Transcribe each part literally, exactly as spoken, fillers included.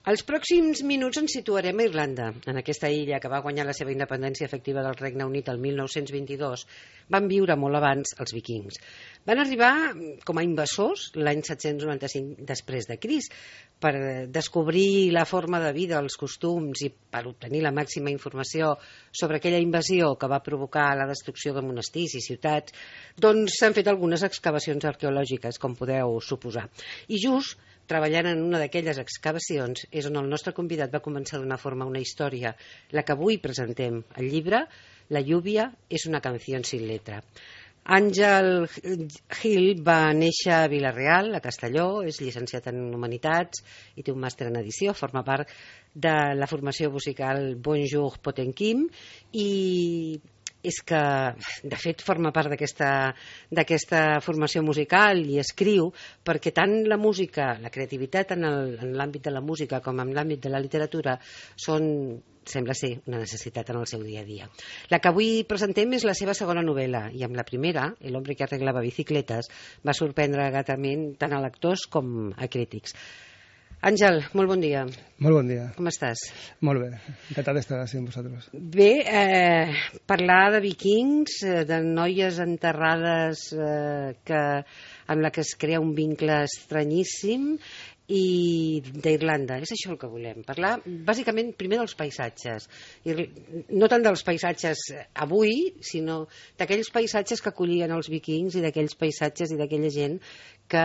Els pròxims minuts ens situarem a Irlanda, en aquesta illa que va guanyar la seva independència efectiva del Regne Unit el mil nou-cents vint-i-dos. Van viure molt abans els vikings. Van arribar com a invasors l'any set-cents noranta-cinc després de Crist per descobrir la forma de vida, els costums i per obtenir la màxima informació sobre aquella invasió que va provocar la destrucció de monestirs i ciutats. Doncs s'han fet algunes excavacions arqueològiques, com podeu suposar. I just treballant en una d'aquelles excavacions és on el nostre convidat va començar a donar forma a una història, la que avui presentem, el llibre La lluvia és una canció sin letra. Àngel Gil va néixer a Vila-real, a Castelló, és llicenciat en Humanitats i té un màster en edició, forma part de la formació musical Bonjour Potenquim i és que, de fet, forma part d'aquesta formació musical i escriu perquè tant la música, la creativitat en l'àmbit de la música com en l'àmbit de la literatura són, sembla ser, una necessitat en el seu dia a dia. La que avui presentem és la seva segona novel·la i amb la primera, El hombre que arreglava bicicletes, va sorprendre gratament tant a lectors com a crítics. Àngel, molt bon dia. Molt bon dia. Com estàs? Molt bé, encantat d'estar així amb vosaltres. Bé, eh, parlar de vikings, de noies enterrades eh, que, amb la que es crea un vincle estranyíssim i d'Irlanda, és això el que volem parlar, bàsicament primer dels paisatges, no tant dels paisatges avui, sinó d'aquells paisatges que acollien els vikings i d'aquells paisatges i d'aquella gent que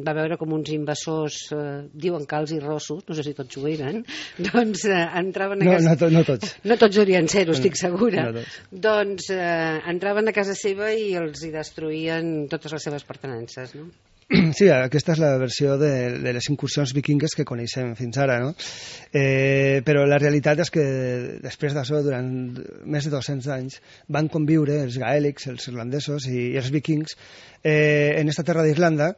va veure com uns invasors, eh, diuen calts i rossos, no sé si tots ho eren, doncs eh, entraven a no, casa... No, to, no tots. No tots haurien ser-ho, estic segura. No tots. Doncs eh, entraven a casa seva i els hi destruïen totes les seves pertenences, no? Sí, aquesta és la versió de, de les incursions vikingues que coneixem fins ara, no? Eh, però la realitat és que després d'això, durant més de dos-cents anys, van conviure els gaèlics, els irlandesos i, i els vikings eh, en esta terra d'Irlanda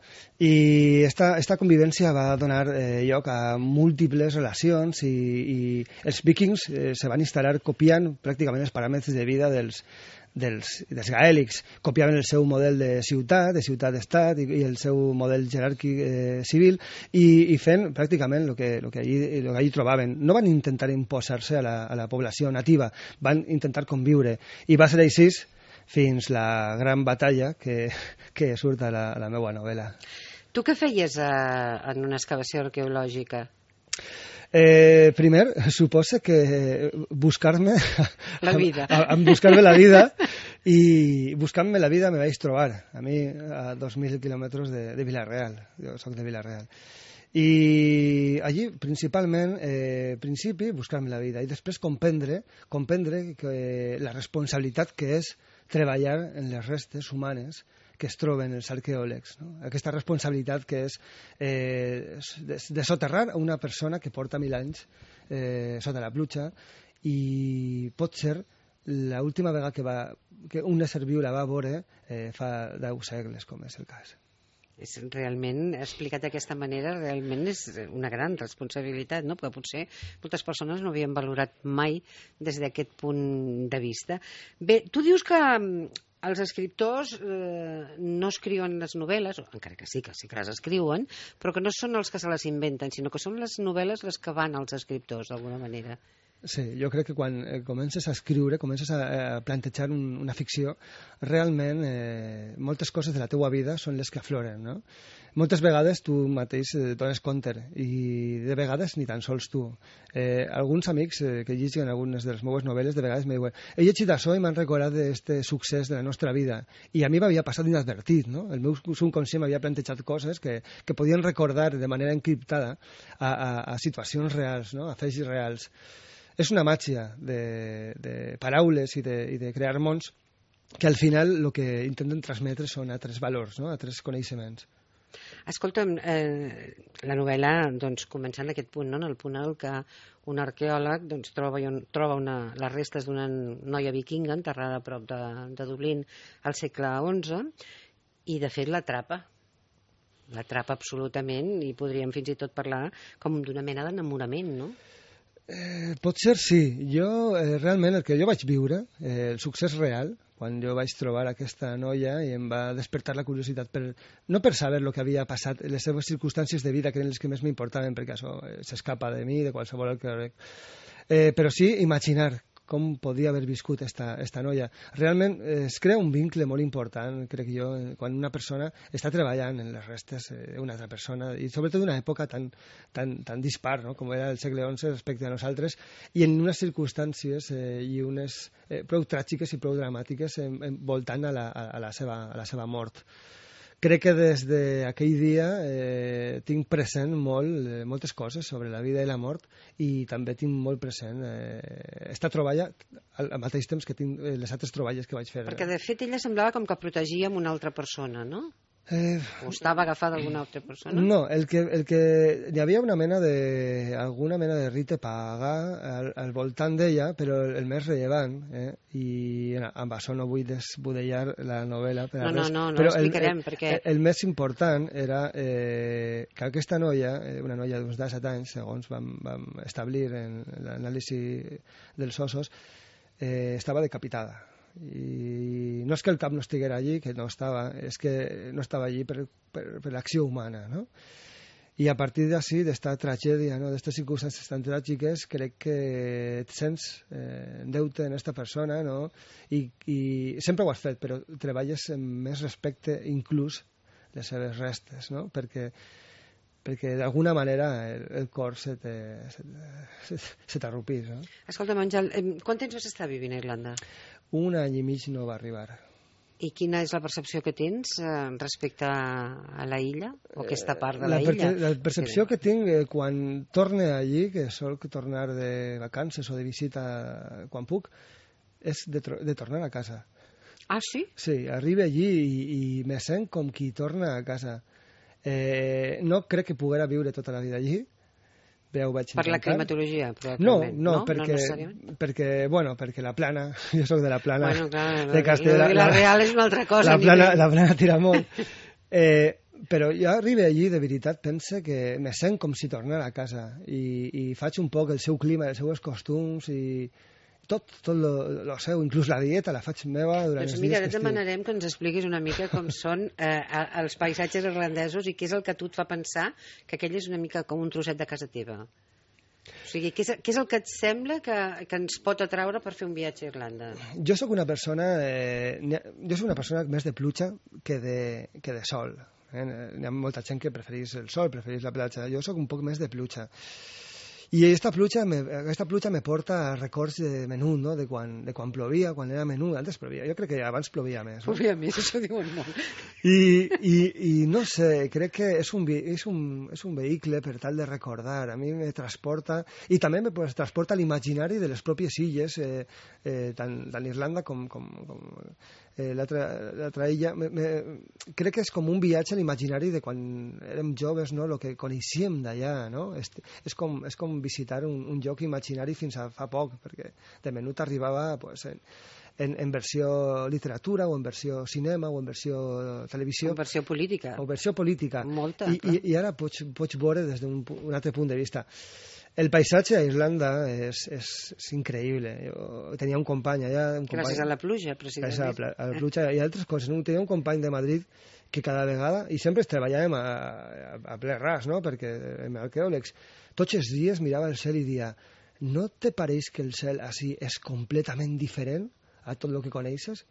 i esta, esta convivència va donar eh, lloc a múltiples relacions i, i els vikings eh, se van instal·lar copiant pràcticament els paràmetres de vida dels Dels, dels gaèlics, copiaven el seu model de ciutat, de ciutat-estat i, i el seu model jeràrquic eh, civil i, i fent pràcticament el que, el que, allí, el que allí trobaven. No van intentar imposar-se a, la, a la població nativa, van intentar conviure i va ser així fins la gran batalla que, que surt a la, a la meva novel·la. Tu què feies a, en una excavació arqueològica? Eh, primer, suposa que buscar-me la vida. A, a, a buscar-me la vida i buscant-me la vida me vaig trobar a mi a dos mil quilòmetres de, de Vila-real. Jo soc de Vila-real. I allí, principalment, eh, principi, buscar-me la vida i després comprendre, comprendre que la responsabilitat que és treballar en les restes humanes que es troben els arqueòlegs, no? Aquesta responsabilitat que és eh, de, de soterrar a una persona que porta mil anys eh, sota la pluja i pot ser l'última vegada que, va, que un ésser viu la va veure eh, fa deu segles, com és el cas. És realment, explicat d'aquesta manera, realment és una gran responsabilitat, no? Perquè potser moltes persones no havien valorat mai des d'aquest punt de vista. Bé, tu dius que els escriptors eh, no escriuen les novel·les, encara que sí, que sí que les escriuen, però que no són els que se les inventen, sinó que són les novel·les les que van als escriptors, d'alguna manera. Sí, jo crec que quan eh, comences a escriure, comences a, a plantejar un, una ficció, realment eh, moltes coses de la teua vida són les que afloren, no? Moltes vegades tu mateix eh, dones compte i de vegades ni tan sols tu. Eh, alguns amics eh, que llegeixen algunes de les meves novel·les de vegades me diuen he llegit això i m'han recordat d'aquest succés de la nostra vida i a mi m'havia passat inadvertit, no? El meu subconscient m'havia plantejat coses que, que podien recordar de manera encriptada a, a, a situacions reals, no? A fets reals. És una màgia de, de paraules i de, i de crear mons que al final el que intenten transmetre són altres valors, no? Altres coneixements. Escolta'm, eh, la novel·la doncs, comença en aquest punt, no? En el punt en què un arqueòleg doncs, troba, troba una, les restes d'una noia vikinga enterrada a prop de, de Dublín al segle onze i de fet l'atrapa. L'atrapa absolutament i podríem fins i tot parlar com d'una mena d'enamorament, no? Eh, potser sí. Jo, eh, realment, el que jo vaig viure, eh, el succés real, quan jo vaig trobar aquesta noia i em va despertar la curiositat, per, no per saber el que havia passat, les seves circumstàncies de vida, que eren les que més m'importaven, perquè això eh, s'escapa de mi, de qualsevol arqueòleg, eh, però sí imaginar com podia haver viscut esta, esta noia. Realment eh, es crea un vincle molt important, crec jo, quan una persona està treballant en les restes d'una altra persona, i sobretot d'una època tan, tan, tan dispar, no?, com era el segle onze respecte a nosaltres, i en unes circumstàncies eh, i unes eh, prou tràgiques i prou dramàtiques eh, voltant a la, a, la seva, a la seva mort. Crec que des d'aquell dia eh, tinc present molt, eh, moltes coses sobre la vida i la mort, i també tinc molt present eh, esta troballa al, al mateix temps que tinc eh, les altres troballes que vaig fer. Perquè de fet ella semblava com que protegia amb una altra persona, no? Eh, o estava agafada d'alguna altra persona? No, el que, el que hi havia una mena de, alguna mena de rite paga al, al voltant d'ella, però el, el més rellevant, eh? I amb això no vull desbudellar la novel·la per no, res, no, no, no però l'explicarem el, perquè... el, el més important era eh, que aquesta noia, eh, una noia d'uns disset anys, segons vam, vam establir en l'anàlisi dels ossos, eh, estava decapitada. I no és que el cap no estiguera allí, que no estava, és que no estava allí per, per, per l'acció humana, no? I a partir d'ací, d'esta tragèdia, no?, d'aquestes circumstàncies tan tràgiques, crec que et sents eh, en deute en aquesta persona, no?, I, i sempre ho has fet, però treballes amb més respecte inclús les seves restes, no?, perquè perquè d'alguna manera el, el cor se t'arrupís, no? Escolta, Àngel, quant temps vas estar vivint a Irlanda? Un any i mig no va arribar. I quina és la percepció que tens eh, respecte a la illa, o aquesta part de la, la illa? La percepció que tinc eh, quan torne allí, que solc tornar de vacances o de visita quan puc, és de, de tornar a casa. Ah, sí? Sí, arribo allí i, i me sent com qui torna a casa. Eh, no crec que poguera viure tota la vida allí. Ja ho vaig per la intentar. climatologia, no, probablement. no, No, perquè, no perquè, bueno, perquè la plana, jo sóc de la plana bueno, clar, de Castella. La, la real és una altra cosa. La plana, la plana tira molt. Eh, però jo arribo allí, de veritat, pense que me sent com si tornara a casa i, i faig un poc el seu clima, els seus costums i tot, tot lo, lo seu, inclús la dieta la faig meva durant doncs els mira, dies que et demanarem que ens expliquis una mica com són eh, els paisatges irlandesos i què és el que a tu et fa pensar que aquell és una mica com un trosset de casa teva. O sigui, què és, què és el que et sembla que, que ens pot atraure per fer un viatge a Irlanda? Jo sóc una persona eh, jo sóc una persona més de pluja que de, que de sol. Eh? Hi ha molta gent que preferís el sol, preferís la platja. Jo sóc un poc més de pluja. I aquesta pluja, me, aquesta pluja me porta a records de menut, no?, de quan, de quan plovia, quan era menut, antes plovia, jo crec que abans plovia més. No? Plovia més, això diuen molt. I, i, i no sé, crec que és un, és, un, és un vehicle per tal de recordar, a mi me transporta, i també me pues, transporta l'imaginari de les pròpies illes, eh, eh, tant, tant Irlanda com, com, com eh, l'altra illa. Me, me, crec que és com un viatge a l'imaginari de quan érem joves, no?, el que coneixíem d'allà, no? És, és, com, és com visitar un, un lloc imaginari fins a fa poc, perquè de menut arribava pues, en, en, en versió literatura, o en versió cinema, o en versió televisió. O en versió política. O versió política. Molta, I, i, i ara pots, pots veure des d'un un altre punt de vista. El paisatge a Irlanda és, és, és increïble. Jo tenia un company allà... Un company, gràcies a la pluja, precisament. Gràcies a la, a la pluja i altres coses. No? Tenia un company de Madrid que cada vegada, i sempre treballàvem a, a, a ple ras, no?, perquè amb arqueòlegs, tots els dies mirava el cel i dia, no te pareix que el cel així és completament diferent a tot el que coneixes?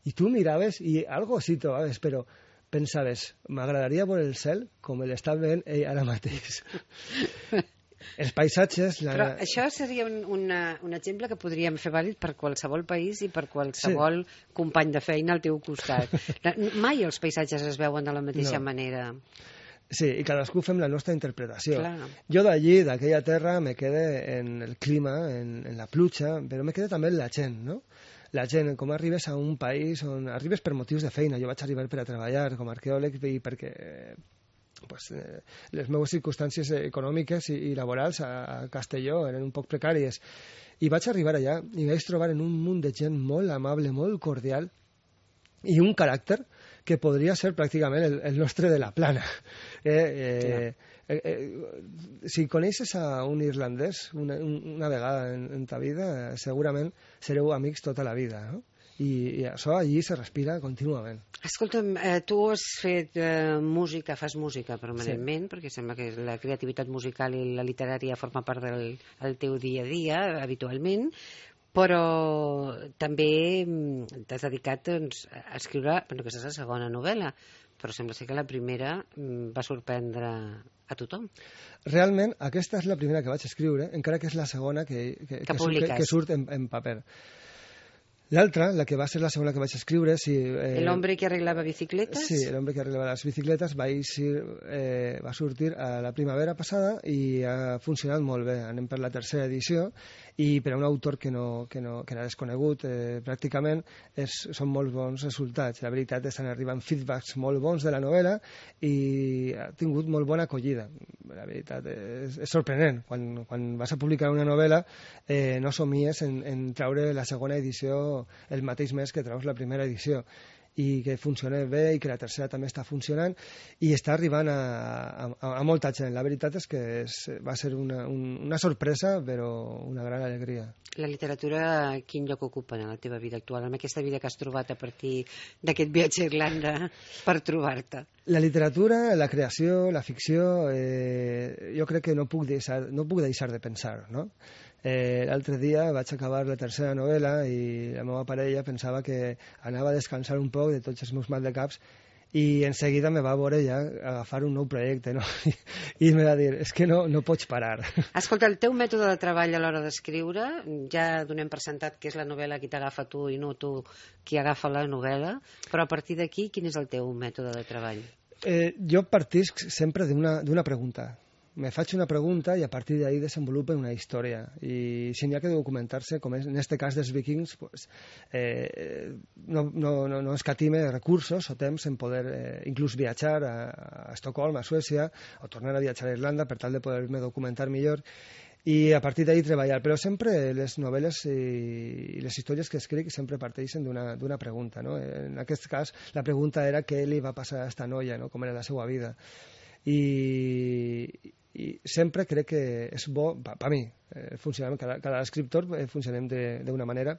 I tu miraves i algo així trobaves, però pensaves, m'agradaria veure el cel com l'està veient ell ara mateix. Els paisatges... La... Però això seria un, una, un exemple que podríem fer vàlid per qualsevol país i per qualsevol sí. company de feina al teu costat. Mai els paisatges es veuen de la mateixa no. manera. Sí, i cadascú fem la nostra interpretació. Clar. Jo d'allí, d'aquella terra, me quedé en el clima, en, en la pluja, però me quedé també en la gent, no? La gent, com arribes a un país on arribes per motius de feina. Jo vaig arribar per a treballar com a arqueòleg i perquè... Pues, eh, les meves circumstàncies econòmiques i, i laborals a, a Castelló eren un poc precàries i vaig arribar allà i vaig trobar en un munt de gent molt amable, molt cordial i un caràcter que podria ser pràcticament el, el nostre de la plana. Eh, eh, Eh, eh, si coneixes a un irlandès una, una vegada en, en ta vida, segurament sereu amics tota la vida, no? I, i això allí se respira contínuament. Escolta'm, eh, tu has fet eh, música, fas música permanentment, sí. Perquè sembla que la creativitat musical i la literària forma part del el teu dia a dia, habitualment, però també t'has dedicat doncs, a escriure, bueno, aquesta és la segona novel·la, però sembla ser que la primera va sorprendre a tothom. Realment, aquesta és la primera que vaig escriure, encara que és la segona que, que, que, que, que, que surt en, en paper. L'altra, la que va ser la segona que vaig escriure... Si, eh, El hombre que arreglava bicicletes? Sí, El hombre que arreglava les bicicletes va, eixir, eh, va sortir a la primavera passada i ha funcionat molt bé. Anem per la tercera edició i per a un autor que, no, que, no, que era desconegut eh, pràcticament és, són molt bons resultats. La veritat estan arribant feedbacks molt bons de la novel·la i ha tingut molt bona acollida. La veritat és, és sorprenent. Quan, quan vas a publicar una novel·la eh, no somies en, en traure la segona edició el mateix mes que treus la primera edició i que funciona bé i que la tercera també està funcionant i està arribant a, a, a molta gent. La veritat és que és, va ser una, un, una sorpresa però una gran alegria. La literatura quin lloc ocupa en la teva vida actual, en aquesta vida que has trobat a partir d'aquest viatge a Irlanda per trobar-te? La literatura, la creació, la ficció, eh, jo crec que no puc deixar, no puc deixar de pensar, no? Eh, L'altre dia vaig acabar la tercera novel·la i la meva parella pensava que anava a descansar un poc de tots els meus maldecaps i en seguida me va veure ja agafar un nou projecte, no? I, i em va dir, és que no, no pots parar. Escolta, el teu mètode de treball a l'hora d'escriure, ja donem per sentat que és la novel·la qui t'agafa tu i no tu qui agafa la novel·la, però a partir d'aquí, quin és el teu mètode de treball? Eh, jo partisc sempre d'una pregunta. Me faig una pregunta i a partir d'ahí desenvolupen una història i si n'hi ha que documentar-se, com és en este cas dels vikings, pues, eh, no, no, no, no escatime recursos o temps en poder eh, inclús viatjar a, a Estocolm, a Suècia, o tornar a viatjar a Irlanda per tal de poder-me documentar millor i a partir d'ahí treballar, però sempre les novel·les i les històries que escric sempre parteixen d'una pregunta, no? En aquest cas la pregunta era què li va passar a esta noia, no? Com era la seva vida i, i sempre crec que és bo, per a mi, eh, funcionem, cada, cada escriptor eh, funcionem d'una manera.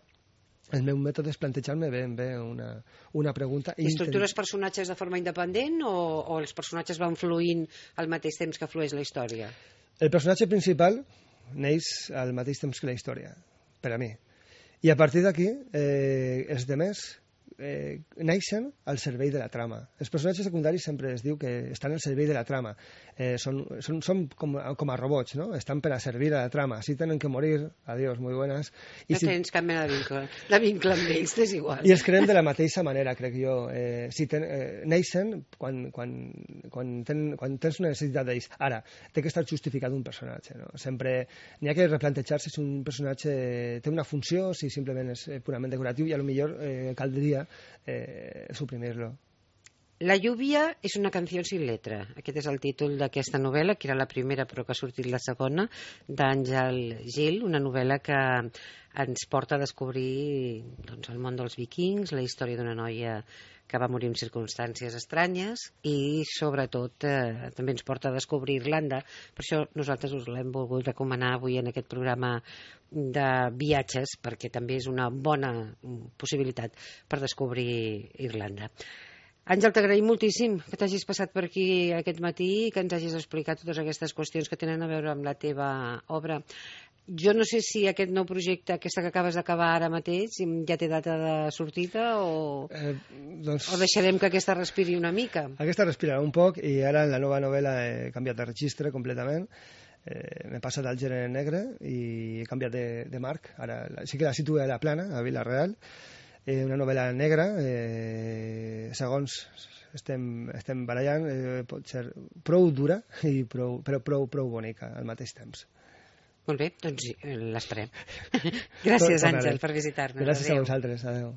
El meu mètode és plantejar-me ben bé una, una pregunta. I estructures personatges de forma independent o, o els personatges van fluint al mateix temps que flueix la història? El personatge principal neix al mateix temps que la història, per a mi. I a partir d'aquí, eh, els demés eh, neixen al servei de la trama. Els personatges secundaris sempre es diu que estan al servei de la trama. Eh, són, són, són com, com a robots, no? Estan per a servir a la trama. Si tenen que morir, adiós, muy buenas. I no si... tens cap mena de vincle, de vincle amb ells, és igual. I els creem de la mateixa manera, crec jo. Eh, si ten, eh, neixen quan, quan, quan, ten, quan tens una necessitat d'ells. Ara, té que estar justificat un personatge, no? Sempre n'hi ha que replantejar-se si un personatge té una funció, si simplement és purament decoratiu i a lo millor eh, caldria eh, suprimir-lo. La lluvia és una canció sin letra. Aquest és el títol d'aquesta novel·la, que era la primera però que ha sortit la segona, d'Àngel Gil, una novel·la que ens porta a descobrir doncs, el món dels vikings, la història d'una noia que va morir en circumstàncies estranyes i, sobretot, eh, també ens porta a descobrir Irlanda. Per això nosaltres us l'hem volgut recomanar avui en aquest programa de viatges, perquè també és una bona possibilitat per descobrir Irlanda. Àngel, t'agraïm moltíssim que t'hagis passat per aquí aquest matí i que ens hagis explicat totes aquestes qüestions que tenen a veure amb la teva obra. Jo no sé si aquest nou projecte, aquesta que acabes d'acabar ara mateix, ja té data de sortida o, eh, doncs... o deixarem que aquesta respiri una mica? Aquesta respirarà un poc i ara en la nova novel·la he canviat de registre completament. Eh, m'he passat al gènere negre i he canviat de, de marc. Ara sí que la situo a la Plana, a Vila-real. Eh, una novel·la negra, eh, segons estem, estem barallant, eh, pot ser prou dura i prou, però prou, prou bonica al mateix temps. Molt bé, doncs l'esperem. Gràcies, Àngel, per visitar-nos. Gràcies a vosaltres, adeu.